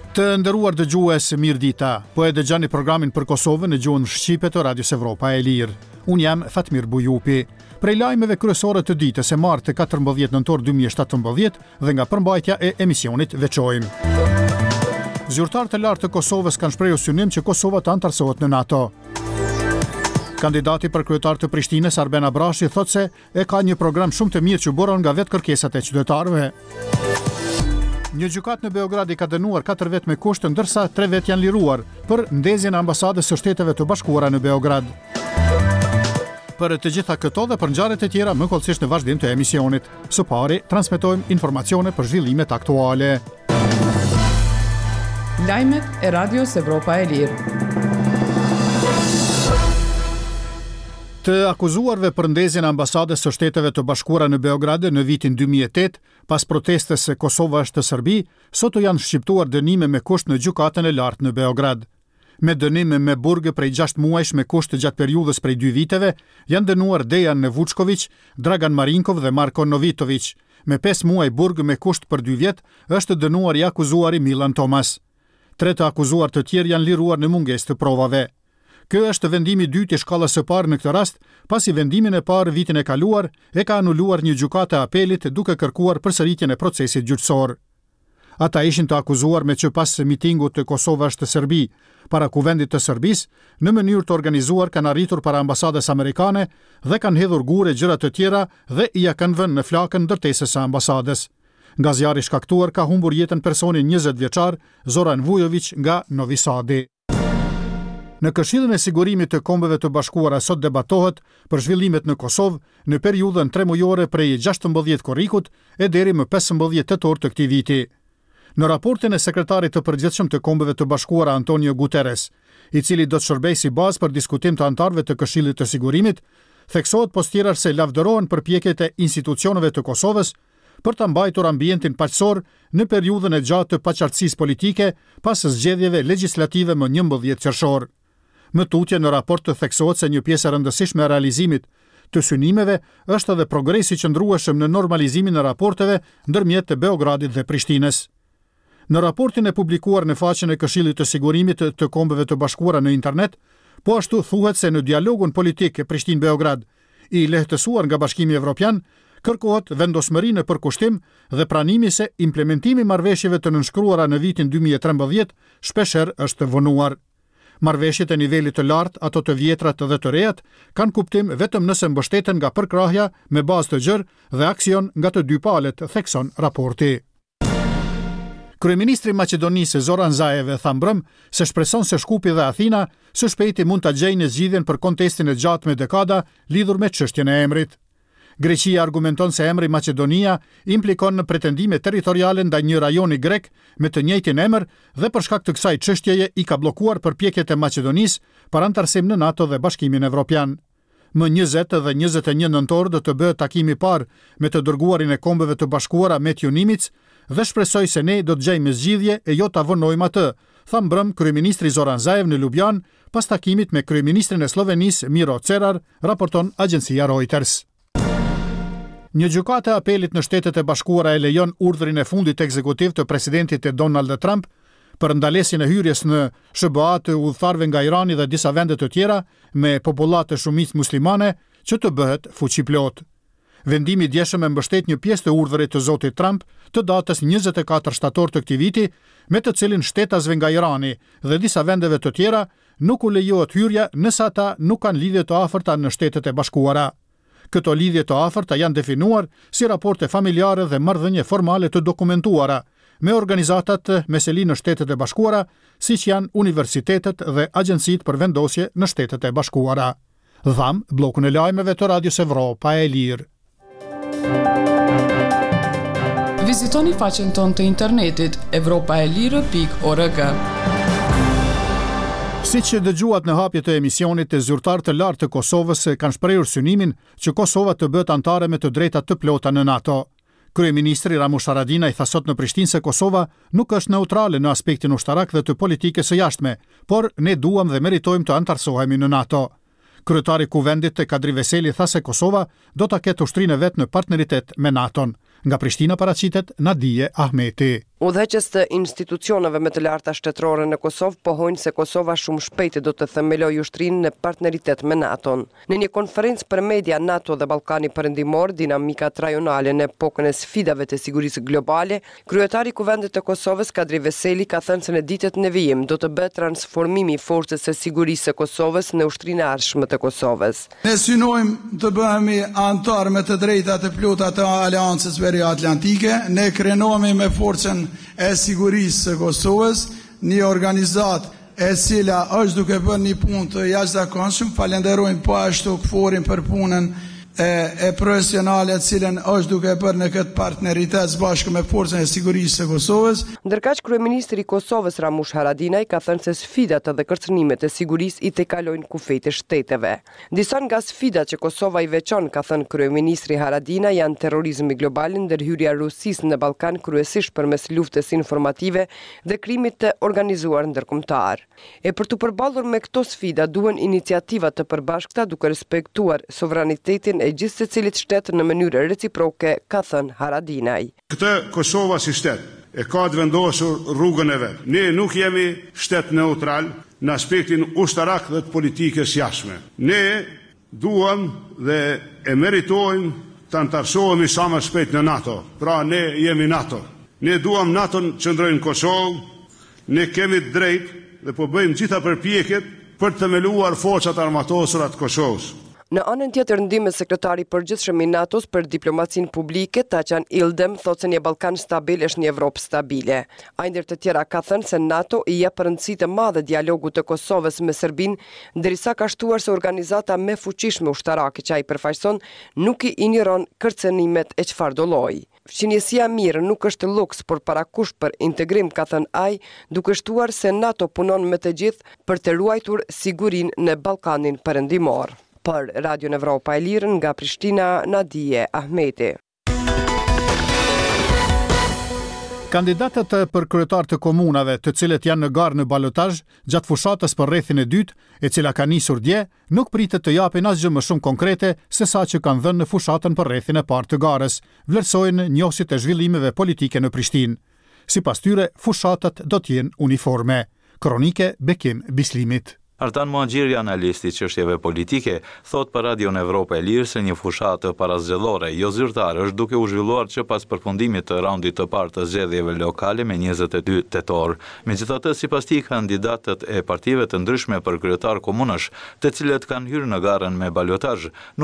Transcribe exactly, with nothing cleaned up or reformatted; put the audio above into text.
Të nderuar dëgjues, mirë dita. Po e dëgjoni programin për Kosovën në gjuhën shqipe të Radios Evropa e Lirë. Unë jam Fatmir Bujupi. Prej lajmeve kryesore të ditës e martë katërmbëdhjetë nëntor dy mijë e shtatëmbëdhjetë dhe nga përmbajtja e emisionit veçojmë: Zyrtarë të lartë të Kosovës kanë shprehur synim që Kosova të antarësohet në NATO. Kandidati për kryetar të Prishtinës, Arben Abrashi, thotë se e ka një program shumë të mirë që buron nga vetë kërkesat e qytetarëve. Një gjykatë në Beograd i ka dënuar katër vetë me kusht, ndërsa tre vetë janë liruar për ndezjen e ambasadës së Shteteve të Bashkuara në Beograd. Për të gjitha këto dhe për ngjarjet e tjera më hollësisht në vazhdim të emisionit. Së pari, transmetojmë informacione për zhvillimet aktuale. Lajmet e Radios Evropa e Lirë. Të akuzuarve për ndezjen e ambasadës së Shteteve të Bashkuara në Beograd në vitin dy mijë e tetë, pas protestës se Kosova është Serbi, sot u janë shqiptuar dënime me kusht në gjykatën e lartë në Beograd. Me dënim me burg prej gjashtë muajsh me kusht gjatë periudhës prej dy viteve, janë dënuar Dejan Vučković, Dragan Marinkov dhe Marko Novitović. Me pesë muaj burg me kusht për dy vjet është dënuar i akuzuari Milan Tomas. Tre të akuzuar të tjerë janë liruar në mungesë të provave. Ky është vendimi i dytë i shkallës së parë në këtë rast, pasi vendimin e parë vitin e kaluar e ka anuluar një gjykatë e apelit, duke kërkuar përsëritjen e procesit gjyqësor. Ata ishin të akuzuar me që pas mitingut të "Kosova është Serbi" para Kuvendit të Serbisë, në mënyrë të organizuar kanë arritur para ambasadës amerikane dhe kanë hedhur gurë e gjëra të tjera dhe ia kanë vënë në flakën ndërtesës së ambasadës. Nga zjarri shkaktuar ka humbur jetën personi njëzet vjeçar Zoran Vujović nga Novi Sadi. Në Këshillin e Sigurimit të Kombeve të Bashkuara sot debatohet për zhvillimet në Kosovë në periudhën tremujore prej gjashtëmbëdhjetë korrikut e deri më pesëmbëdhjetë tetor të këtij viti. Në raportin e sekretarit të përgjithshëm të Kombeve të Bashkuara, Antonio Guterres, i cili do të shërbejë si bazë për diskutim të anëtarëve të Këshillit të Sigurimit, theksohet pos tjerash se lavdërohen përpjekjet e institucioneve të Kosovës për ta mbajtur ambientin paqësor në periudhën e gjatë të paqartësisë politike pas zgjedhjeve legjislative më njëmbëdhjetë qershor. Më tutje në raport të theksohet se një pjesë e rëndësishme e realizimit të synimeve është edhe progresi i qëndrueshëm në normalizimin e raporteve ndërmjet të Beogradit dhe Prishtinës. Në raportin e publikuar në faqen e Këshillit të Sigurimit të Kombeve të Bashkuara në internet, po ashtu thuhet se në dialogun politik Prishtinë-Beograd, i lehtësuar nga Bashkimi Evropian, kërkohet vendosmëri në përkushtim dhe pranimi se implementimi i marrëveshjeve të nënshkruara në vitin dy mijë e trembëdhjetë shpeshherë është vonuar. Marrëveshjet e nivelit të lartë, ato të vjetrat dhe të rejat, kanë kuptim vetëm nëse mbështeten nga përkrahja me bazë të gjerë dhe aksion nga të dy palët, thekson raporti. Kryeministri i Maqedonisë, Zoran Zaev, tha mbrëm se shpreson se Shkupi dhe Athina së shpejti mund ta gjejnë zgjidhjen për kontestin e gjatë me dekada lidhur me çështjen e emrit. Greqia argumenton se emri Maqedonia implikon në pretendime territoriale ndaj një rajoni grek me të njëjtin emër dhe për shkak të kësaj çështjeje i ka bllokuar përpjekjet e Maqedonisë për antarësim në NATO dhe Bashkimin Evropian. Më njëzet dhe njëzet e një nëntor do të bëhet takimi i parë me të dërguarin e Kombeve të Bashkuara, Matthew Nimitz, dhe shpresoj se ne do të gjejmë zgjidhje e jo ta vonojmë atë, tha mbrëm kryeministri Zoran Zaev në Lubjan pas takimit me kryeministrin e Sllovenisë, Miro Cerar, raporton agjencia Reuters. Një gjykatë e apelit në Shtetet e Bashkuara e lejon urdhrin e fundit ekzekutiv të presidentit të Donald Trump për ndalesjen e hyrjes në S H B A të udhëtarëve nga Irani dhe disa vende të tjera me popullatë shumicë muslimane që të bëhet fuqiplot. Vendimi i djeshëm e mbështet një pjesë të urdhrit të zotit Trump të datës njëzet e katër shtator të këtij viti, me të cilin shtetasve nga Irani dhe disa vendeve të tjera nuk u lejohet hyrja nëse ata nuk kanë lidhje të afërta në Shtetet e Bashkuara. Këto lidhje të afërta janë definuar si raporte familjare dhe marrëdhënie formale të dokumentuara me organizatat me seli në Shtetet e Bashkuara, siç janë universitetet dhe agjencitë për vendosje në Shtetet e Bashkuara. Dham bllokun e lajmeve të Radios Evropa e Lirë. Vizitoni faqen tonë të internetit evropaelire pikë org. Si që dëgjuat në hapje të emisionit, të zyrtarë të lartë të Kosovës kanë shprehur synimin që Kosova të bëhet anëtare me të drejta të plota në NATO. Kryeministri Ramush Haradinaj tha sot në Prishtinë se Kosova nuk është neutrale në aspektin ushtarak dhe të politikës së jashtme, por ne duam dhe meritojmë të antarësohemi në NATO. Kryetari i Kuvendit, Kadri Veseli, tha se Kosova do ta ketë ushtrinë e vet në partneritet me NATO-n. Nga Prishtina paraqitet Nadije Ahmeti. Udhëheqës të institucioneve më të larta shtetërore në Kosovë pohojnë se Kosova shumë shpejt do të themelojë ushtrinë në partneritet me NATO-n. Në një konferencë për media NATO dhe Ballkani Perëndimor, dinamikat rajonale në epokën e sfidave të sigurisë globale, kryetari i Kuvendit të Kosovës Kadri Veseli ka thënë se në ditët në vijim do të bëhet transformimi i forcës së sigurisë së Kosovës në ushtrinë e ardhshme të Kosovës. Ne synojmë të bëhemi anëtar me të drejtat e plota të Aleancës Veri-Atlantike. Ne krenohemi me forcën e sigurisë së Kosovës, një organizatë e cila është duke bërë një punë të jashtëzakonshëm. Falenderojmë po ashtu KFOR-in për punën e, e profesionale të cilën është duke bërë në këtë partneritet së bashku me Forcën e Sigurisë së Kosovës. Ndërkaq kryeministri i Kosovës Ramush Haradinaj ka thënë se sfidat dhe kërcënimet e sigurisë i tejkalojnë kufijtë e shteteve. Disa nga sfidat që Kosova i veçon, ka thënë kryeministri Haradinaj, janë terrorizmi global, ndërhyrja e Rusisë në Ballkan kryesisht përmes luftës informative dhe krimit të organizuar ndërkombëtar. E për t'u përballur me këto sfida duhen iniciativa të përbashkëta duke respektuar sovranitetin e gjithsecilit shtet në mënyrë reciproke, ka thënë Haradinaj. Këtë Kosova si shtet e ka të vendosur rrugën e vet. Ne nuk jemi shtet neutral në aspektin ushtarak dhe të politikës jashtme. Ne duam dhe e meritojmë të anëtarësohemi sa më shpejt në NATO. Pra ne jemi NATO. Ne duam NATO-n të qëndrojë në Kosovë, ne kemi të drejtë dhe po bëjmë gjitha përpjekjet për të themeluar forcat armatosura të Kosovës. Në anën tjetër, ndihmës sekretari i përgjithshëm i NATO-s për diplomacinë publike, Taçan Ildem, thotë se një Ballkan stabil është një Evropë stabile. Ai ndër të tjera ka thënë se NATO i jep rëndësi të madhe dialogut të Kosovës me Serbinë, derisa ka shtuar se organizata më e fuqishme ushtarake që ai përfaqëson nuk i injoron kërcënimet e çfarëdo lloji. Fqinjësia e mirë nuk është luks, por parakusht për integrim, ka thënë ai, duke shtuar se NATO punon me të gjithë për të ruajtur sigurinë në Ballkanin Perëndimor. Për Radion Evropa e Lirë nga Prishtina, Nadije Ahmeti. Kandidatët për kryetar të komunave, të cilët janë në garë në balotazh gjatë fushatës për rrethin e dytë, e cila ka nisur dje, nuk pritet të japin asgjë më shumë konkrete se sa që kanë dhënë në fushatën për rrethin e parë të garës, vlerësojnë njohësit e zhvillimeve politike në Prishtinë. Sipas tyre, fushatat do të jenë uniforme. Kronike Bekim Bislimit. Artan Muhaxhiri, analist i çështjeve politike, thotë për Radion Evropa e Lirë se një fushatë parazgjedhore jo zyrtare është duke u zhvilluar që pas përfundimit të raundit të parë të zgjedhjeve lokale me njëzet e dy tetor. Megjithatë, sipas tij, kandidatët e partive të ndryshme për kryetar komunësh, të cilët kanë hyrë në garën me balotazh, nuk